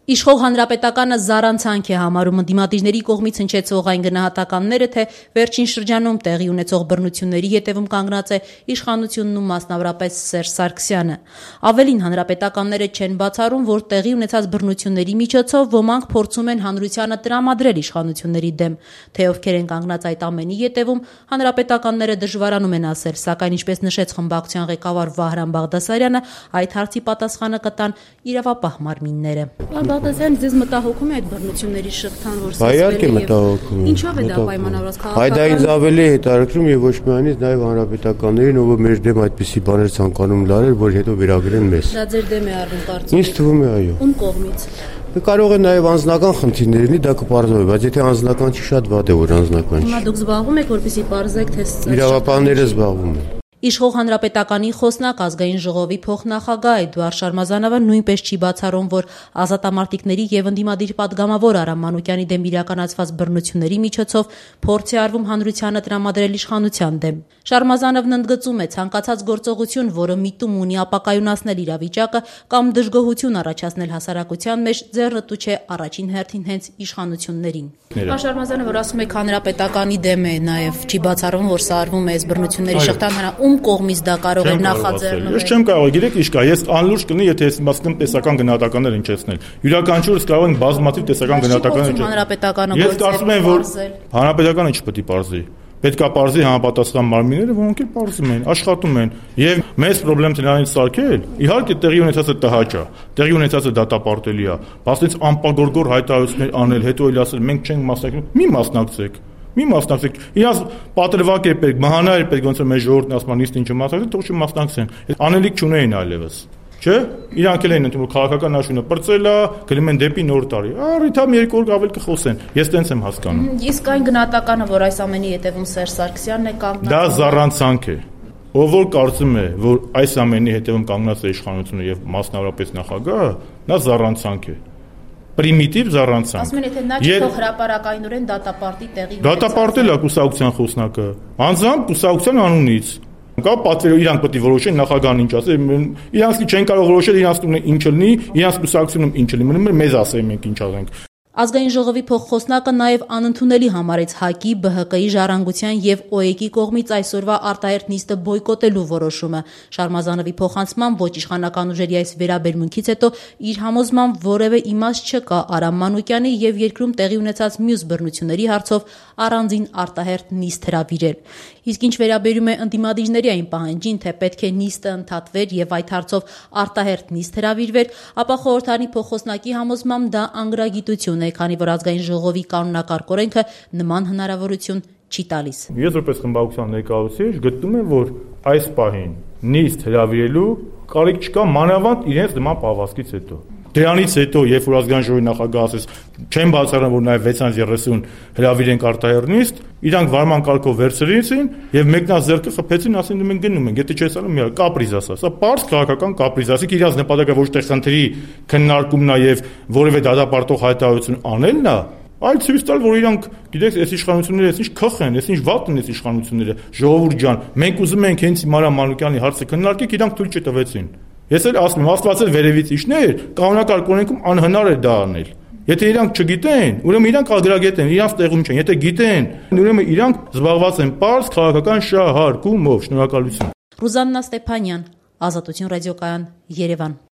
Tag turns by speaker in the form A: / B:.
A: Իշխող հանրապետականը զառանցանք է համարում ընդդիմադիրների կողմից հնչեցող այն գնահատականները, թե վերջին շրջանում տեղի ունեցող բռնությունների հետևում կանգնած է իշխանությունն ու մասնավորապես Սերժ Սարգսյանը։ Ավելին, հանրապետականները չեն բացառում, որ տեղի ունեցած բռնությունների միջոցով ոմանք փորձում են հանրությանը տրամադրել իշխանությունների դեմ, թե ովքեր են կանգնած այդ ամենի հետևում, հանրապետականները դժվարանում են ասել, սակայն ինչպես նշեց խմբակցության ղեկավար Վահրամ Բաղդասարյանը, այդ հարցի պատասխանը կտան իրավապահ մարմինները։ Բաղդասարյան, ձեզ մտահոգում է այդ բռնությունների շղթան, որ
B: սկսվել է։
A: Ինչով է դա պայմանավորված
B: քաղաքական։ Դա ինձ ավելի հետաքրքրում եւ ոչ միանից նաեւ հանրապետականներին, ով մեր դեմ այդպիսի բաներ ցանկանում լարել, որ հետո վերագրեն մեզ։
A: Դա ձեր դեմ է առնում կարծում։
B: Ինձ թվում է, այո։
A: Ում կողմից։
B: Կարող է նաեւ անձնական խնդիրներ լինի, դա կպարզվի, բայց եթե անձնական չի, շատ վատ է, որ անձնական չի։
A: Հիմա դուք զբաղվում եք, որպեսզի պարզեք, թե
B: իրավապահները զբաղվում են։
A: Իշխող հանրապետականի խոսնակ ազգային ժողովի փոխնախագահ Էդուարդ Շարմազանովը նույնպես չի բացառում, որ ազատամարտիկների եւ ընդդիմադիր պատգամավոր Արամ Մանուկյանի դեմ իրականացված բռնությունների միջոցով փորձ է արվում հանրությանը տրամադրել իշխանության դեմ։ Շարմազանովն ընդգծում է, ցանկացած գործողություն, որը միտում ունի ապակայունացնել իրավիճակը կամ դժգոհություն առաջացնել հասարակության մեջ, ձեռնտու չէ առաջին հերթին հենց իշխանություններին։ Շարմազանովը, որ ասում եք հանրապետականի դեմ է, նաեւ չի բացառում, որ սա արվում է այս բռնությունների շղթան կողմից դա կարող է նախաձեռնել։
C: Ես չեմ կարող, գիտեք ինչ կա, ես անլուրջ կնի, եթե ես իմաստում տեսական գնահատականներ հնչեցնել։ Յուրաքանչյուրս կարող են բազմաթիվ տեսական գնահատականներ հնչեցնել։ Ես կարծում եմ, որ հանրապետականը չպետք է պարզի։ Պետք է պարզի համապատասխան մարմինները, որոնք էլ պարզում են, աշխատում են։ Եվ մեծ խնդրեմ դրանից սարքել, իհարկե տեղի ունեցածը տհաճ է, տեղի ունեցածը դատապարտելի է, բայց անպագորգոր հայտարարություններ անել, հետո էլ ասել մենք չենք մասնակցում, մի մասնակցեք։ Մի մասնակցեք, իրաց պատրվակ է պետք, մահանա է պետք, ոնց որ մեր ժողովուրդն ասում է, ինչ մասնակցեն, թող չմասնակցեն։ Անելիք չունեին այլևս։ Չէ՞։ Իրանք էլ են ընդունում քաղաքական աշունը պրծել է, գնում են դեպի նոր տարի։ Առիթ համ երկու օր ավել կխոսեն։ Ես տենց եմ հասկանում։
A: Իսկ այն գնահատականը, որ այս ամենի հետևում Սերժ Սարգսյանն է կանգնած։
C: Դա զառանցանք է։ Ով որ կարծում է, որ այս ամենի հետևում կանգնած է իշխանությունը եւ մասնավորապես նախագահը, նա զառանցանք է։ Պրիմիտիվ զառանցանք։
A: Ասում են, եթե նա չթող հրապարակայնորեն դատապարտի տեղի
C: դատապարտել է կուսակցության խոսնակը, անձամբ կուսակցության անունից։ Կա պատվերը իրանք պետք է որոշեն նախագահան ինչ ասի, իրանք չեն կարող որոշել, իրանք տունը ինչ լինի, իրանք կուսակցությունում ինչ լինի, մնում է մեզ ասեն մենք ինչ ասենք։
A: Ազգային ժողովի փոխխոսնակը նաև անընդունելի համարեց ՀԱԿ-ի, ԲՀԿ-ի, Ժառանգության եւ ՕԵԿ-ի կողմից այսօրվա արտահերթ նիստը բոյկոտելու որոշումը։ Շարմազանովի փոխանցմամբ ոչ իշխանական ուժերի այս վերաբերմունքից հետո իր համոզմամբ որևէ իմաստ չկա Արամ Մանուկյանի եւ երկրում տեղի ունեցած մյուս բռնությունների հարցով առանձին արտահերթ նիստ հրավիրել։ Իսկ ինչ վերաբերում է ընդդիմադիրների այն պահանջին, թե պետք է նիստը ընդհատվեր եւ այդ հարցով արտահերթ նիստ հրավիրվեր, ապա խորհրդարանի փոխխոսնակի համոզմամբ դա անգրագիտություն է, քանի որ ազգային ժողովի կանոնակարգ օրենքը նման հնարավորություն չի տալիս։
C: Ես որպես խմբակցության ներկայացուցիչ գտնում եմ, որ այս պահին նիստ հրավիրելու կարիք չկա մանավանդ իրենց նման պահվածքից հետո։ Դրանից հետո, երբ որ ազգային ժողովի նախագահը ասեց, չեմ բացառում, որ նաև 630 հրավիրենք արտահերթ նիստ, իրանք վարման կարգով վերցրեցին եւ մեկնազերկը խփեցին, ասին մենք գնում ենք, եթե չես անում, մի կապրիզ ասա։ Սա պարզ քաղաքական կապրիզ, ասիկ իրանք նպատակը ոչ թե խնդրի քննարկումն է եւ որևէ դատապարտող հայտարարություն անելն է, այլ ցույց տալ, որ իրանք, գիտեք, այս իշխանությունները այսինչ քխ են, այսինչ վատ են այս իշխանությունները, ժողովուրդ ջան, մենք ուզում ենք հենց Արամ Մանուկյանի հարցը քննարկենք, իրանք թույլ չտվեցին։ Ես էլ ասում եմ, Աստված էլ վերևից իջներ, կանոնակարգ օրենքում անհնար է դա անել։ Եթե իրանք չգիտեն, ուրեմն իրանք ագրագետ են, իրանք տեղում չեն։ Եթե գիտեն, ուրեմն իրանք զբաղված են պարզ քաղաքական շահարկումով։ Շնորհակալություն։
A: Ռուզաննա Ստեփանյան, Ազատություն ռադիոկայան, Երևան։